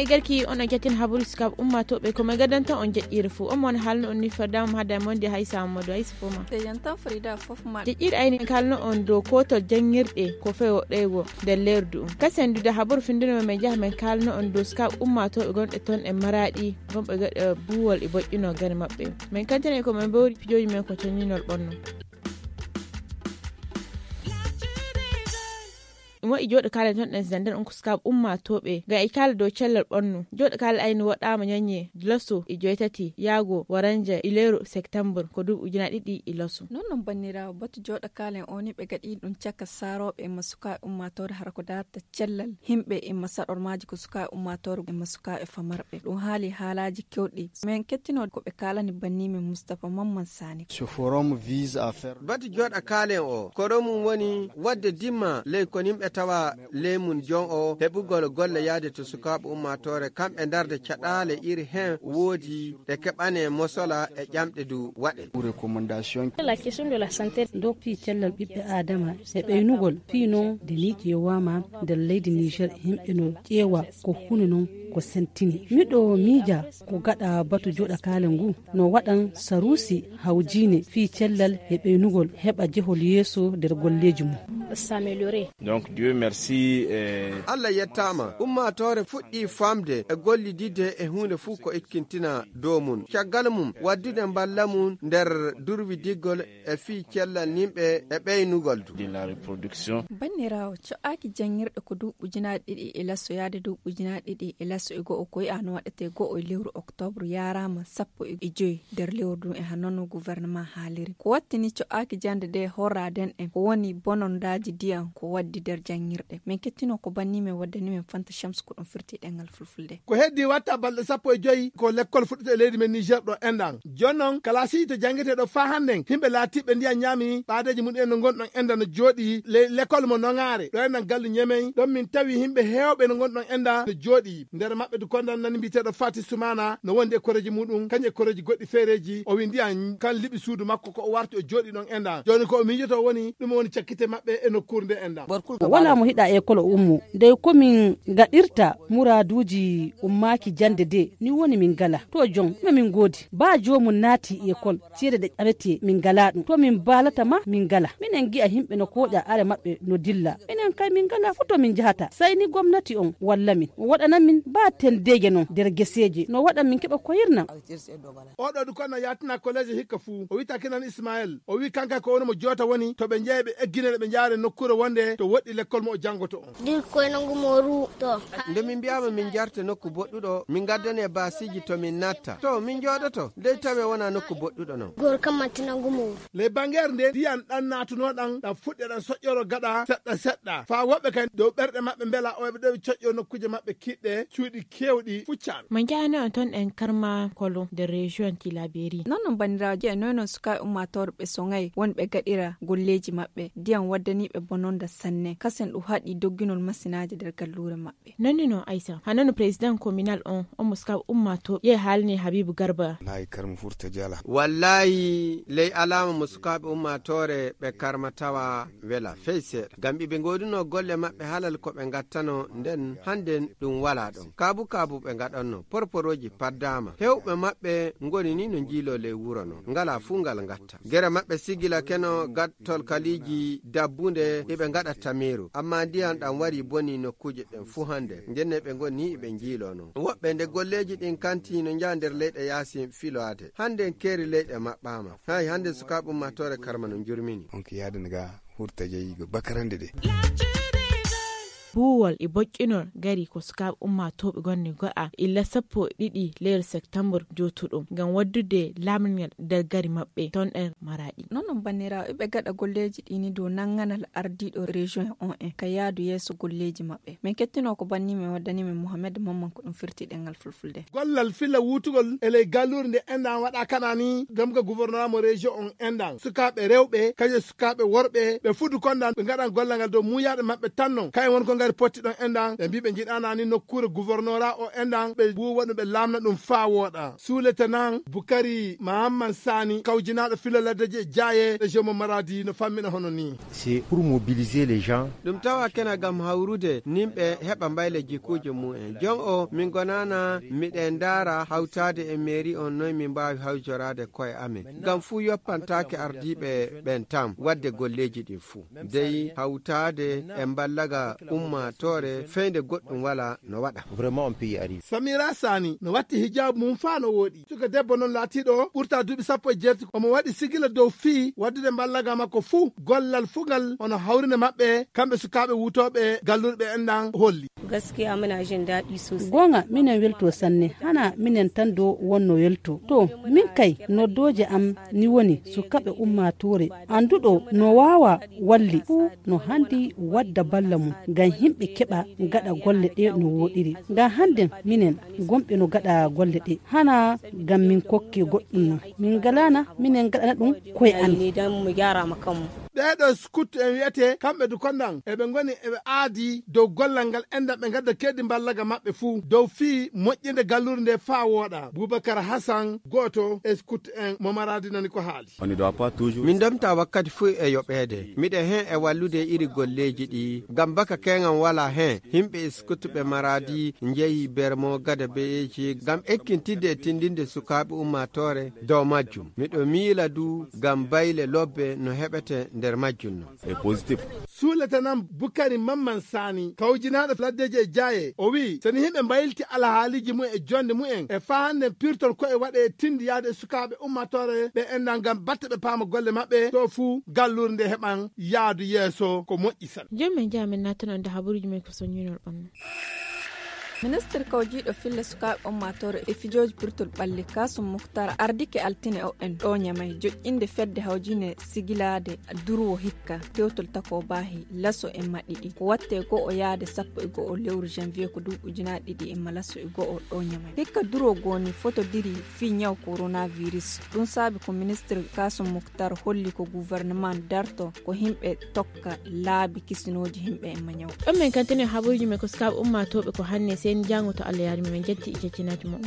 igarki on gatin habul skab umma to be ko magadanta on jeddire fu on mon halno on ni fadam hada monde haysa modo haysa fuma te yantan frida fofma jeddire ayni kalno on do ko to jangirde ko fewo dego de lerdu kasendu da habur findino me jahme kalno on do skab umma to be gonde ton e maradi gombe gade buwol e bojjino gane mabbe men kantene ko men bawri pijoji men ko toninol bonno mo i jodo kala ton den zandan on kuskab umma tobe ga ikala do cellal bonnu jodo kala ayni wadama nyanye loso i joytati yago waranja ilero september ko du ujina didi iloso non bannira batu jodo kala oni be gadi dun chaka sarobe masuka umma tor har ko data cellal himbe e masador maji ko suka umma tor e masuka e famarbe dun hali halaji kewdi men kettino ko be kala ni banni men Mustafa Mamman Sani ce forum vise à faire batu jodo kala o koromum woni wadde dimma le ko nimbe tawa lemun jon o hebugol golle yaade to sukaɓe ummatore kamɓe darde caɗale iri hen woodi e keɓane mosola e ƴamɗe du waɗe recommandation la question de la santé do pi cellal ɓiɓɓe adama e ɓeynugol fi non de ni ƴewama nder leydi Niger himɓe no ƴeewa ko huni non ko sentini miɗo miija ko gaɗa batu joɗa kale ngu no waɗan sarusi hawjine fi cellal e ɓeynugol heɓa jehol yeeso nder golleji mum s'améliorer. Donc Dieu merci. Allah yettama ummatore fuɗɗi famde e gollidide e hunde fu ko ikkintina dow mun caggal mum waddude balla mum nder durwi diggol e fi cellal nimɓe e ɓeynugol de la reproduction. Bannirawo co'aki jangirɗe ko duuɓi ujunaaje ɗiɗi e lasso yaade duuɓi ujunaaje ɗiɗi e lasso e go'o ko yi'ano waɗete go'o e lewru octobre yarama 15 nder lewru e hannono gouvernement haaliri ko wattini co'aki jande de horraden en ko woni bonondaji diyan ko waddi der jangirɗe min kettino ko banni men waddani men Fanta Shams ko ɗum firti ɗengal fulfulde ko heddi watta balɗe 15 ko l'école fuɗɗete e leydi men Niger ɗo endan jonnon kalasi to jangete ɗo fa handen himɓe laatiɓe ndiya ñaami ɓaadeji mun en no gonɗon enda no jooɗi l'école mo nongare ɗo endan gallu ñemen ɗon min tawi himɓe hewɓe no gonɗon enda no jooɗi nder maɓɓe to kondan nani mbiteɗo Fati Soumana no wondi e koreji muɗum kañe koreji goɗɗi feereji o wi ndiyan kan liɓi suudu makko ko o warti o jooɗi ɗon endan joni ko o miijoto woni ɗum woni cakkite maɓɓe e nokkuure nde endan wala mo hiɗa école ummu nde komin gaɗirta muraduji ummaki jande de ni woni min gala to jon ma min godi ba jomum naati école ceede ɗe ƴamete min gala ɗum to min balata ma min gala minen gi'a himɓe no koƴa are maɓɓe no dilla minen kay min gala fu to min jahata sai ni gomnati on walla min o waɗanan min ba tendeje non nder geseje no waɗan min keɓa koyirna oɗo du kono yatina collège hikka fu o wita kinan Ismaël o wi kanka ko woni mo jota woni to ɓe jeeyi ɓe egginere ɓe jaare nokkure wonde to woɗɗi l'école mo o jangoto on dir koy nangu moru to nde min mbiyama min jarte nokku boɗɗuɗo min gaddane basiji to min natta to min joɗoto dey tawe wona nokku boɗɗuɗo non gor kam matti nangu moru les banguère nde diyan ɗan natunoɗan ɗan fuɗɗe ɗan soƴƴoro gaɗa seɗɗa fa woɓɓe kay dow ɓerɗe maɓɓe mbela o ɓe ɗo coƴƴo nokkuje maɓɓe kiɗɗe cuuɗi kewɗi fuccan man jani on ton en karma kolo de région Tilaberi non bandiraji e nonon suka ummatorɓe songay wonɓe gaɗira golleji maɓɓe diyan waddaniɓe bononda sanne kasen ɗum haɗi dogginol masinaji nder gallure maɓɓe nonni no Aïssa hanano président communal on muska ummato ye halni Habibu Garba lay karma furta jala wallahi ley alama musukaɓe ummatore ɓe karma tawa wela feyse gam ɓe goduno golle maɓɓe halal ko ɓe gattano nden handen ɗum wala ɗon kabu ɓe gaɗanno porporoji paddama hewɓe maɓɓe ngoni ni no jiilo ley wuro no ngala fu ngal gatta gere maɓɓe sigila keno gattol kaliji dabbunde eɓe gaɗa tamiru amma ndiyan ɗan wari boni nokkuje ɗen fu hande jenne ɓe goni ɓe jiilono woɓɓe nde golleji ɗin kanti no jaa nder leyɗe yaasi filoade hande keeri leyɗe maɓɓama hay hande sukaɓe ummatore karma no jurmini on ko yaadaniga hurta jeeyigo bakarande de buwol e bokkinol gari ko sukaɓe ummatoɓe gonne go'a illa 12 lewru septembre jotuɗum ngam waddude lamngal nder gari maɓɓe ton en Maradi non banniraɓe ɓe gaɗa golleji ɗini dow nanganal ardiɗo région on en ka yaadu yeeso golleji maɓɓe min kettino ko banni min waddani min Mohamed Mamman ko ɗum firti ɗengal fulfulde gollal filla wutugol eley gallure nde endan waɗa kanani gam ka gouvernement mo région on endan sukaɓe rewɓe kaje sukaɓe worɓe ɓe fudu kondan ɓe gaɗan gollal ngal dow muyaɗe maɓɓe tan non kay won ko ngari potti ɗon endan ɓe mbi ɓe jiɗana ni nokkure gouvernora o endan ɓe buwoɗum ɓe lamna ɗum fa woɗa suuletanan Bukari Mahamman Sani kawjinaɗo filo laddeje Jaye région mo Maradi no fammina hono ni. C'est pour mobiliser les gens. ɗum tawa kena gam hawrude nimɓe heɓa mbayle jikkuji mu'en jon o min gonana miɗen dara hawtade e mairie on noy min mbawi hawjorade koye amen gam fuu yoppantake ardiɓe ɓen tam wadde golleji ɗin fuu dey hawtade e ballaga ummatore feyde goɗɗum wala no waɗa. Vraiment on peut y arriver. Samira Sani no watti hijab mum fa no woɗi suka debbo noon laatiɗo ɓurta duuɓi 17 omo waɗi sigila dow fii waddude ballaga makko fuu gollal fugal ono hawrine maɓɓe kamɓe sukaɓe wutoɓe gallurɓe enɗan holli. Gaskiya muna jin daɗi sosai. Gonga minen welto sanne hana minen tan do wonno welto to min kay noddoje am ni woni sukaɓe ummatore anduɗo no wawa walli fu no handi wadda balla mum ngam himɓe keɓa gaɗa golle ɗe no woɗiri ngam hande minen gomɓe no gaɗa golle ɗe hana ngam min kokki goɗɗum no min galana minen gaɗana ɗum koye an dan mu gyara ma kanmu. ɓeɗo skut en wiyete kamɓe du kondan eɓe goni eɓe aadi dow gollal ngal endan ɓe gadda keddi ballaga maɓɓe fuu dow fii moƴƴinde gallurde nde faa wooɗa. Boubacar Hassan goto e skut en mo Maradi nani ko haali. Min domta wakkati fuu e yoɓede miɗen hen e wallude iri golleji ɗi gam baka keŋan wala hen himɓe skut ɓe Maradi jeeyi bermo gada beyeji gam ekkintidde e tindinde sukaɓe ummatore dow majjum miɗo miila du gam bayle lobbe no heɓete nder majjum no C'est positif. Suuletanan Bukari Mamman Sani kawjinaɗo laddeje e Jaye o wi soni himɓe mbaylti alhaaliji mumen e jonde mumen e fa hande pirtol koye waɗe tindi yaade e sukaɓe ummatore ɓe endan gam batta ɓe paama golle maɓɓe to fuu gallurde nde heɓan yaadu yeeso ko moƴƴi san. Jommen jamin natanon da haburuji men ko soñinol ɓanna. Ministre kawjiɗo fille sukaɓe ummatore e fijoji pirtol ɓalli Kasum Muktar ardike altine o en ɗo ñamay joƴƴinde fedde hawjine sigilade durwo hikka tewtol tako baahi laso en maɗiɗi ko watte go o yaade 11 lewru janvier ko duuɓujunaɗe ɗiɗi e malaso e go o ɗo ñamay hikka durwo goni photo diri fi ñaw coronavirus ɗum saabi ko ministre Kasum Muktar holli ko gouvernement darto ko himɓe tokka laabi kisinoji himɓe e mañaw ɗon men kantene haburuji men ko sukaɓe ummatoɓe ko hanne sen jango to Allah yaari men jetti icecinaji mo